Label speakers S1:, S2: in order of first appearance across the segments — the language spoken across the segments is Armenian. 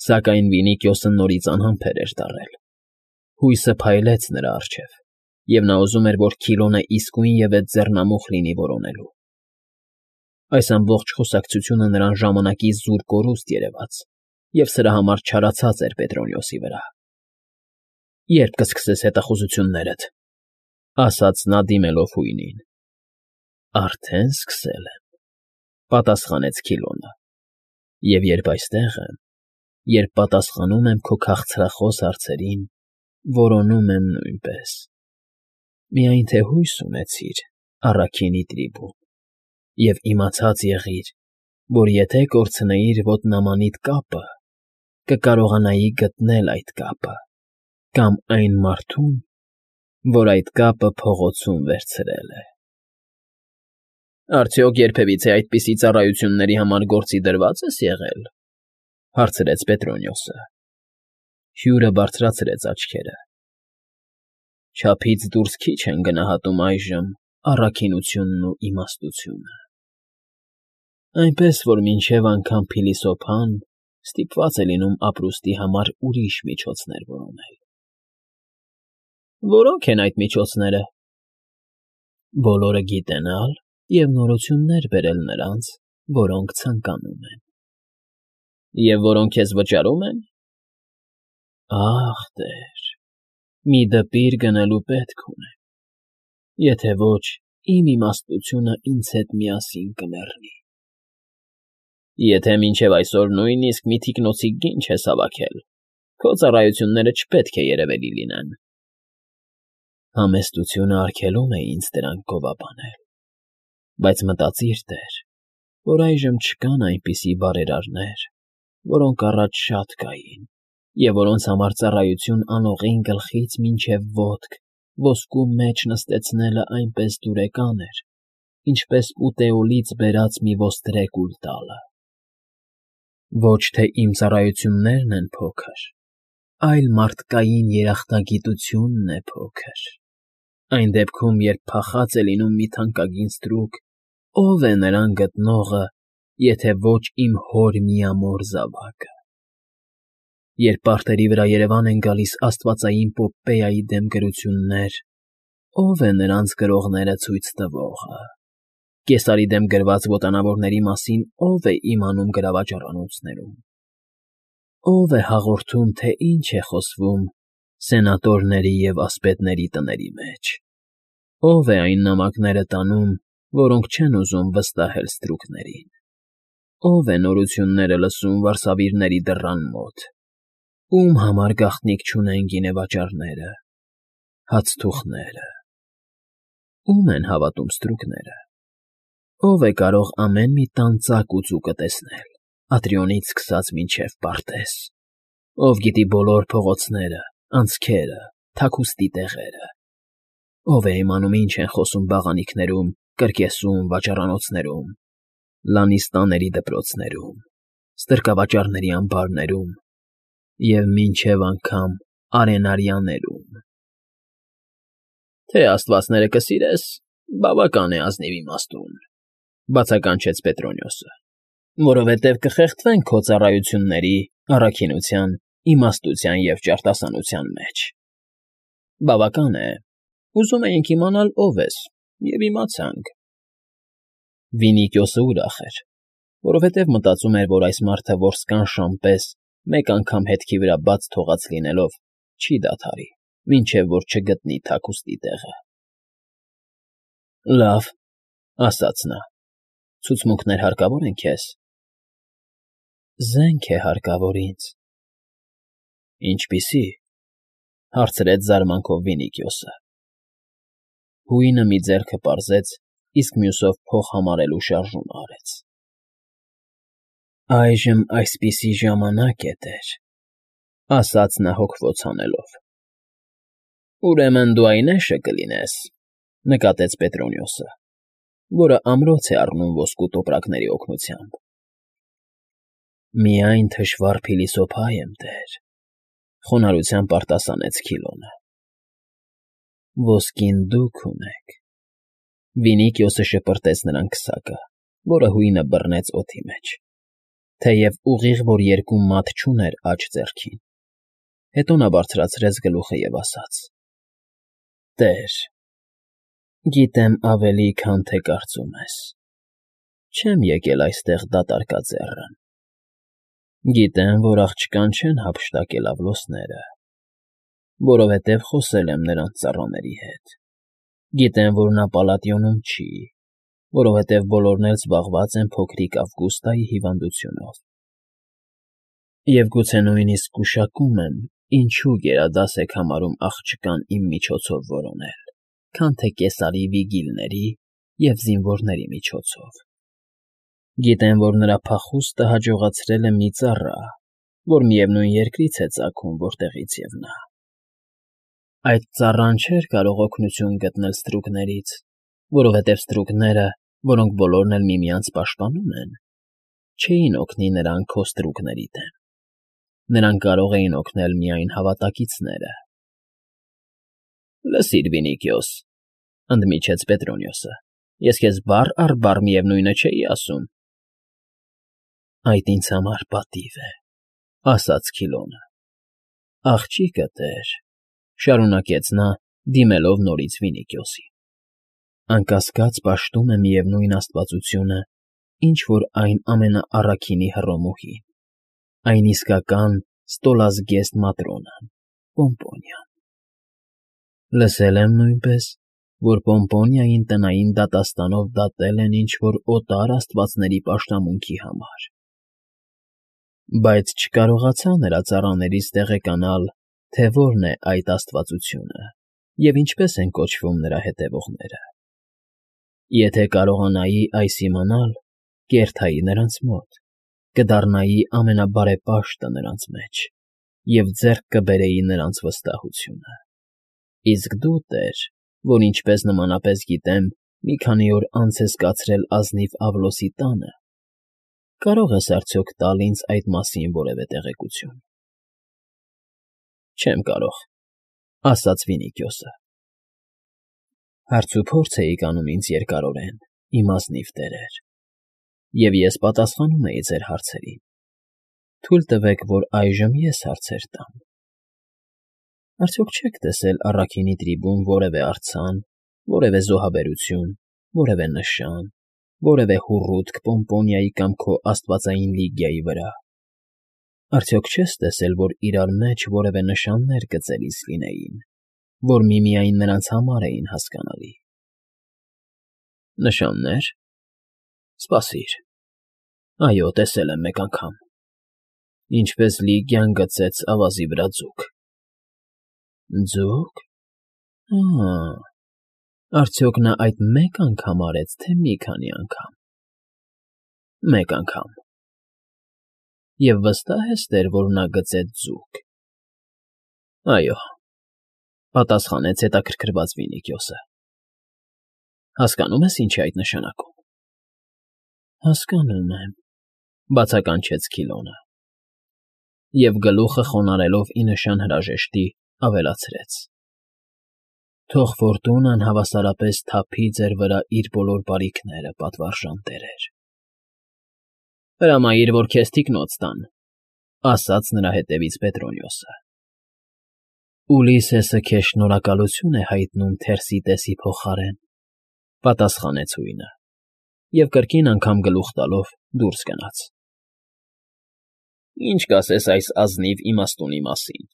S1: Սակայն Վինիկիոսը նորից անհամբեր էր դառել։ Հույսը փայլեց նրա առջև, և նա ուզում էր, որ Քիլոնը իսկույնևեթ ձեռնամուխ լինի որոնելու։ Այս ամբողջ խոսակցությունը նրան ժամանակի զուր կորուստ երևաց, և սրա համար չարացած էր Պետրոնիոսի վրա։ «Ե՞րբ կսկսես հետախուզություններդ,֊ ասաց նա դիմելով հույնին։ «Արդեն սկսել եմ,֊ պատասխանեց Քիլոնը,֊ և երբ այստեղ եմ, երբ պատասխանում եմ քո քաղցրախոս հարցերին, որոնում եմ նույնպես։ Միայն թե հույս ունեցիր, առաքինի Տրիբուն, և իմացած եղիր, որ եթե կորցնեիր ոտնամանիդ կապը, կկարողանայի գտնել այդ կապը կամ այն մարդուն, որ այդ կապը փողոցում վերցրել է»։ «Արդյոք երբևիցե այդպիսի ծառայությունների համար գործի դրվա՞ծ ես եղել,֊ հարցրեց Պետրոնիոսը։ Հյուրը բարձրացրեց աչքերը։ «Չափից դուրս քիչ են գնահատում այժմ առաքինությունն ու իմաստությունը, այնպես որ մինչև անգամ փիլիսոփան ստիպված է լինում ապրուստի համար ուրիշ միջոցներ որոնել»։ «Որո՞նք են այդ միջոցները»։ «Բոլորը գիտենալ և նորություններ բերել նրանց, որոնք ցանկանում են»։ «Եվ որոնք քեզ վճարում են»։ «Ախ, տեր, մի դպիր գնելու պետք ունեմ, եթե ոչ, իմ իմաստությունը ինձ հետ միասին կմեռնի»։ «Եթե մինչև այսօր նույնիսկ մի թիկնոցիկ գին չես հավաքել, քո ծառայությունները չպետք է երևելի լինեն»։ «Համեստությունը արգելում է ինձ դրանք գովաբանել, բայց մտածիր, տեր, որ այժմ չկան այնպիսի բարերարներ, որոնք առաջ շատ կային, և որոնց համար ծառայություն անողին գլխից մինչև ոտք ոսկու մեջ նստեցնելը այնպես դուրեկան էր, ինչպես ուտեոլից բերած մի ոստրե կուլ տալը։ Ոչ թե իմ ծառայություններն են փոքր, այլ մարդկային երախտագիտությունն է փոքր։ Այն դեպքում, երբ փախած է լինում մի թանկագին ստրուկ, ո՞վ է նրան գտնողը, եթե ոչ իմ հոր միամոր զավակը։ Երբ պարտերի վրա երևան են գալիս աստվածային Պոպպեայի դեմ գրություններ, ո՞վ է նրանց գրողները ցույց տվողը։ Կեսարի դեմ գրված ոտանավորների մասին ո՞վ է իմանում գրավաճառանոցներում։ Ո՞վ է հաղորդում, թե ինչ է խոսվում սենատորների և ասպետների տների մեջ։ Ո՞վ է այն նամակները տանում, որոնք չեն ուզում վստահել ստրուկներին։ Ո՞վ է նորությունները լսում վարսավիրների դռան մոտ։ Ում համար գաղտնիք չունեն գինեվաճառները, հացթուխները։ Ո՞ւմ են հավատում ստրուկները։ Ո՞վ է կարող ամեն մի տան ծակ ու ծուկը տեսնել, Ատրիոնից սկսած մինչև Պարտես։ Ով գիտի բոլոր փողոցները, անցքերը, թաքուստի տեղերը։ Ով է իմանում ինչ են խոսում բաղանիքներում, կրկեսում, վաճառանոցներում, լանիստաների դպրոցներում, ստրկավաճառների ամբարներում և մինչև անգամ արենարյաներում։ «Թե աստվածները կսիրես, բավական է ազնիվ իմաստուն,֊ բացականչեց Պետրոնիոսը,֊ որովհետև կխեղդվեն քո ծառայությունների, առաքինության, իմաստության և ճարտասանության մեջ։ Բավական է, ուզում էինք իմանալ ով ես, և իմացանք»։ Վինիկիոսը ուրախ էր, որովհետև մտածում էր, որ այս մարդը որսկան պես մեկ անգամ հետքի վրա բաց թողած լինելով չի դադարի, մինչև որ չգտնի թաքուստի տեղը։ «Լավ,֊ ասաց նա,֊ ցուցմունքներ հարկավոր են քեզ»։ «Զենք է հարկավոր ինձ»։ «Ինչպիսի՞», հարցրեց զարմանքով Վինիկիոսը։ Հույնը մի ձեռքը պարզեց, իսկ մյուսով փող համարելու շարժում արեց։ «Այժմ այսպիսի ժամանակ է, տեր,֊ ասաց նա հոգվոց հանելով։ «Ուրեմն դու այն էշը կլինես,֊ նկատեց Պետրոնիոսը,֊ որը ամրոց է առնում ոսկու տոպրակների օգնությամբ»։ «Միայն թշվառ փիլիսոփա եմ, տեր,֊ խոնարհությամբ արտասանեց Քիլոնը։ «Ոսկին դուք ունեք»։ Վինիկիոսը շպրտեց նրան քսակը, որը հույնը բռնեց օդի մեջ։ թեև ուղիղ որ երկու մատ չուներ աջ ձեռքին։ Հետո նա բարձրացրեց գլուխը և ասաց. «Տեր, գիտեմ ավելի, քան թե կարծում ես։ Չեմ եկել այստեղ դատարկաձեռն։ Գիտեմ, որ աղջկան չեն հափշտակել Ավլոսները, որովհետև խոսել եմ նրանց ծառաների հետ։ Գիտեմ, որ նա Պալատիոնում չի, որովհետև բոլորն էլ զբաղված են փոքրիկ Ավգուստայի հիվանդությունով։ Եվ գուցե նույնիսկ գուշակում եմ, ինչու գերադաս եք համարում աղջկան իմ միջոցով որոնել, քան թե Կեսարի վիգիլների և զինվորների միջոցով։ Գիտեմ, որ նրա փախուստը հաջողացրել է մի ծառա, որ միևնույն երկրից է ծագում, որտեղից և նա։ Այդ ծառան չէր կարող օգնություն գտնել ստրուկներից, որովհետև ստրուկները, որոնք բոլորն էլ միմյանց պաշտպանում են, չէին օգնի նրան քո ստրուկների դեմ։ Նրան կարող էին օգնել միայն հավատակիցները։ ֊ Լսիր, Վինիքիոս,֊ ընդմիջեց Պետրոնիոսը,֊ ես քեզ բառ առ բառ միևնույնը չէի ասում։ ֊ Այդ ինձ համար պատիվ է,֊ ասաց Քիլոնը։ ֊ Աղջիկը, տեր,֊ շարունակեց նա, դիմելով նորից Վինիքիոսին,֊ անկասկած պաշտում է միևնույն աստվածությունը, ինչ որ այն ամենաառաքինի Հռոմուհին, այն իսկական ստոլազգեստ Матрոնան, Պոմպոնիան։ Լսել եմ նույնպես, որ Պոմպոնիային տնային դատաստանով դատել են ինչ֊որ օտար աստվածների պաշտամունքի համար, բայց չկարողացա նրա ծառաներից տեղեկանալ, թե որն է այդ աստվածությունը և ինչպես են կոչվում նրա հետևողները։ Եթե կարողանայի այս իմանալ, կերթայի նրանց մոտ, կդառնայի ամենաբարեպաշտը նրանց մեջ և ձեռք կբերեի նրանց վստահությունը։ Իսկ դու, տեր, որ ինչպես նմանապես գիտեմ, մի քանի օր անց ես կացրել ազնիվ Ավլոսի տանը, կարո՞ղ ես արդյոք տալ ինձ այդ մասին որևէ տեղեկություն։ ֊ Չեմ կարող,֊ ասաց Վինիքիոսը։ Հարցուփորձ էիք անում ինձ երկարորեն, իմ ազնիվ տերեր, և ես պատասխանում էի ձեր հարցերին։ Թույլ տվեք, որ այժմ ես հարցեր տամ։ Արդյոք չեք տեսել առաքինի տրիբուն որևէ արձան, որևէ զոհաբերություն, որևէ նշան, որևէ հուռութք Պոմպոնիայի կամ քո աստվածային Լիգիայի վրա։ Արդյոք չես տեսել, որ իրար մեջ որևէ նշաններ գծելիս լինեին, որ միմիայն նրանց համար էին հասկանալի։ ֊ Նշաննե՞ր։ Սպասիր։ Այո, տեսել եմ մեկ անգամ, ինչպես Լիգիան գծեց ավազի վրա ձուկ։ Ձո՞ւկ։ Ա՜, արդյոք նա այդ մեկ անգամ արեց, թե մի քանի անգամ։ Մեկ անգամ։ Եվ վստահ ես, տեր, որ նա գծեց ձուկ։ Այո,֊ պատասխանեց հետաքրքրված Վինիքիոսը։ Հասկանո՞ւմ ես, ինչ է այդ նշանակում։ Հասկանում եմ,֊ բացականչեց Քիլոնը։ Եվ գլուխը խոնարհելով ի նշան հրաժեշտի, ավելացրեց. Թող Ֆորտունան հավասարապես թափի ձեր վրա իր բոլոր բարիքները, պատվարժան տերեր։ ֊ Հրամայիր, որ քեզ թիկնոց տան,֊ ասաց նրա հետևից Պետրոնիոսը։ ֊ Ուլիսեսը քեզ շնորհակալություն է հայտնում Թերսիտեսի փոխարեն,֊ պատասխանեց հույնը և կրկին անգամ գլուխ տալով դուրս գնաց։ ֊ Ինչ կասես այս ազնիվ իմաստունի մասին,֊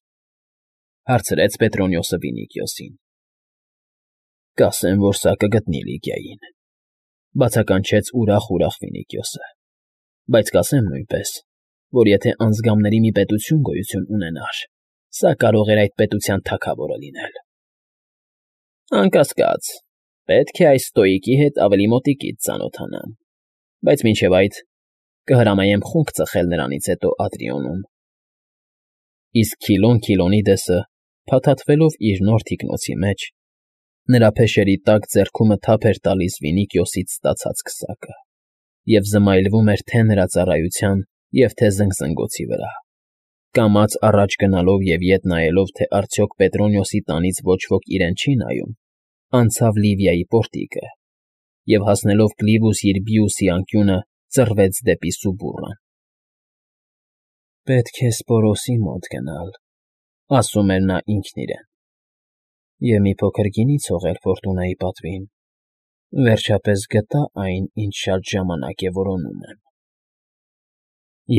S1: հարցրեց Պետրոնիոսը Վինիքիոսին։ ֊ Կասեմ, որ սա կգտնի Լիգիային,֊ բացականչեց ուրախ Վինիքիոսը,֊ բայց կասեմ նույնպես, որ եթե անձգամների մի պետություն գոյություն ունենար, սա կարող էր այդ պետության թագավորը լինել։ ֊ Անկասկած, պետք է այս ստոիկի հետ ավելի մոտիկից ծանոթանամ, բայց մինչև այդ կհրամայեմ խունկ ծխել նրանից հետո Ադրիոնում։ Իսկ Քիլոն Քիլոնիդեսը, փաթաթվելով իր նոր թիկնոցի մեջ, նրա փեշերի տակ ձեռքումը թափ էր տալիս Վինիքիոսից ստացած քսակը և զմայլվում էր թե նրա ծառայության և թե զնգզնգոցի վրա, կամաց առաջ գնալով և ետ նայելով, թե արդյոք Պետրոնիոսի տանից ոչ ոք իրեն չի նայում, անցավ Լիվիայի պորտիկը և, հասնելով Կլիվուս Յիրբիուսի անկյունը, ծռվեց դեպի Սուբուռան։ Պետք է Սպորոսի մոտ գնալ, ասում էր նա ինքն իրեն, և մի փոքր գինի ցողել Ֆորտունայի պատվին, վերջապես գտա այն, ինչ շատ ժամանակ է որոնում եմ.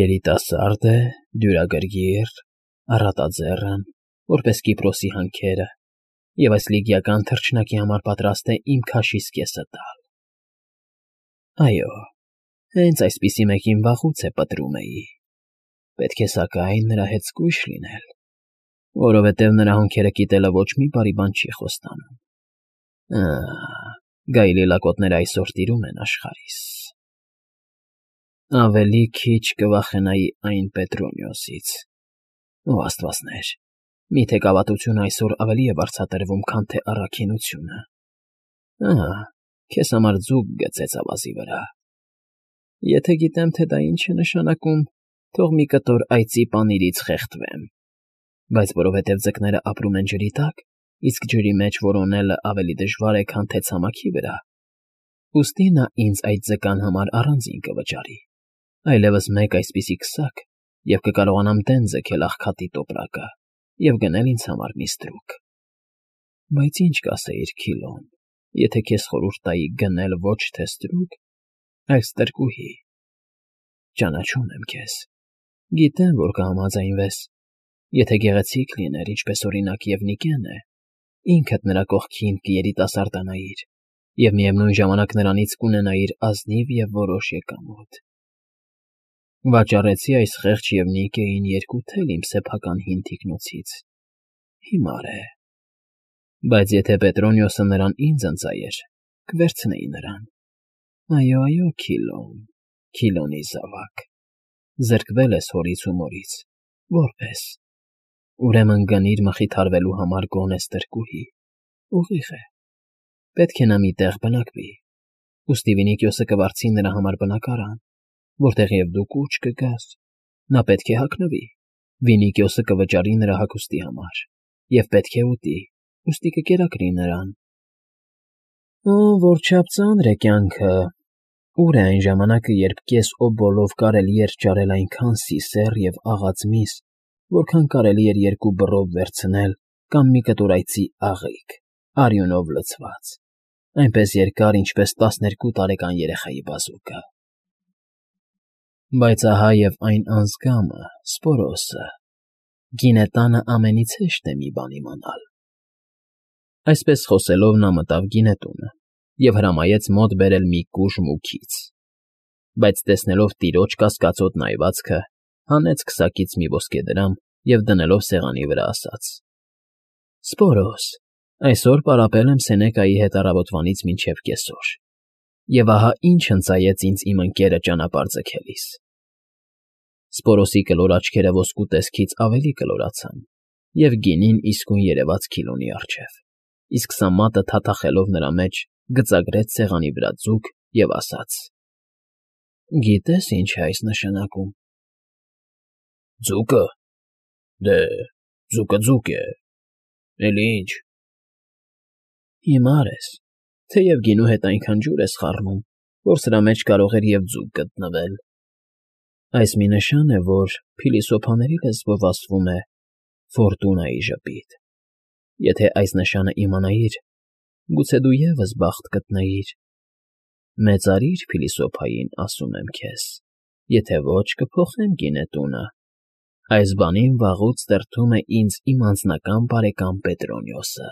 S1: երիտասարդ է, դյուրագրգիռ, առատաձեռն, որպես Կիպրոսի հանքերը, և այս լիգիական թռչնակի համար պատրաստ է իմ քաշիս կեսը տալ։ Այո, հենց այսպիսի մեկին վաղուց է պտրում էի, պետք է սակայն նրա հետ զգույշ լինել, որովհետև նրա հոնքերը կիտելը ոչ մի բարի բան չի խոստանում։ Գայլի լակոտները այսօր տիրում են աշխարհիս։ Ավելի քիչ կվախենայի այն Պետրոնիոսից։ Ո աստվածներ, միթե կավատությունը այսօր ավելի է վարձատրվում, քան թե առաքինությունը։ Քեզ համար ձուկ գծեց ավազի վրա։ Եթե գիտեմ, թե դա ինչ է նշանակում, թող մի կտոր այծի պանիրից խեղդվեմ, բայց որովհետև ձկները ապրում են ջրի տակ, իսկ ջրի մեջ որոնելը ավելի դժվար է, քան թե ցամաքի վրա, ուստի նա ինձ այդ ձկան համար առանձին կվճարի, այլևս մեկ այսպիսի քսակ, և կկարողանամ դեն ձգել աղքատի տոպրակը և գնել ինձ համար մի ստրուկ։ Բայց ինչ կասեիր, Քիլոն, եթե քեզ խորհուրդ տայի գնել ոչ թե ստրուկ, այլ ստրկուհի։ Ճանաչում եմ քեզ, գիտեմ, որ կհամաձայնվես, եթե գեղեցիկ լիներ, ինչպես օրինակ Եվնիկեն է, ինքդ նրա կողքին կերիտասարդանայիր և միևնույն ժամանակ նրանից կունենայիր ազնիվ և որոշ եկամուտ։ Վաճառեցի այս խեղճ Եվնիկեին երկու թել իմ սեփական հին թիկնոցից, հիմար է, բայց եթե Պետրոնիոսը նրան ինձ ընծայեր, կվերցնեի նրան։ Այո, Քիլոն, Քիլոնի զավակ, զրկվել ես հորից ու մորից, որպես, ուրեմն գնիր մխիթարվելու համար գոնե ստրկուհի, ուղիղ է, պետք է նա մի տեղ բնակվի, ուստի Վինիքիոսը կվարձի նրա համար բնակարան, որտեղ և դու կուչ կգաս, նա պետք է հագնվի, Վինիքիոսը կվճարի նրա հագուստի համար, և պետք է ուտի, ուստի կկերակրի նրան։ Որչափ ծանր է կյանքը, ուր է այն ժամանակը, երբ կես օբոլով կարելի էր ճարել այնքան սիսեռ և աղաց միս, որքան կարելի էր երկու բռով վերցնել կամ մի կտոր այծի աղիք, արյունով լցված, այնպես երկար, ինչպես 12 տարեկան երեխայի բազուկը։ Բայց ահա և այն անձգամը, Սպորոսը, գինետանը ամենից հեշտ է մի բան իմանալ։ Այսպես խոսելով նա մտավ գինետունը և հրամայեց մոտ բերել մի կուժ մուքից, բայց տեսնելով տիրոջ կասկածոտ նայվածքը, հանեց քսակից մի ոսկեդրամ և դնելով սեղանի վրա ասաց. Սպորոս, այսօր պարապել եմ Սենեկայի հետ առավոտվանից մինչև կեսօր, և ահա ինչ հնձայեց ինձ իմ ընկերը ճանապարհ ձգելիս։ Սպորոսի կլոր աչքերը ոսկու տեսքից ավելի կլորացան, և գինին իսկույն երևաց Քիլոնի առջև, իսկ սա մատը թաթախելով նրա մեջ գծագրեց սեղանի վրա ձուկ և ասաց. Գիտե՞ս ինչ է այս նշանակում։ Ձուկը։ Դե, ձուկը ձուկ է, էլի ինչ։ Հիմար ես, թեև գինու հետ այնքան ջուր ես խառնում, որ սրա մեջ կարող էր և ձուկ գտնվել։ Այս մի նշան է, որ փիլիսոփաների լեզվով ասվում է Ֆորտունայի ժպիտ։ Եթե այս նշանը իմանայիր, գուցե դու ևս բախտ գտնեիր։ Մեծարիր փիլիսոփային, ասում եմ քեզ, եթե ոչ, կփոխեմ գինետունը։ Այս բանին վաղուց դրդում է ինձ իմ անձնական բարեկամ Պետրոնիոսը։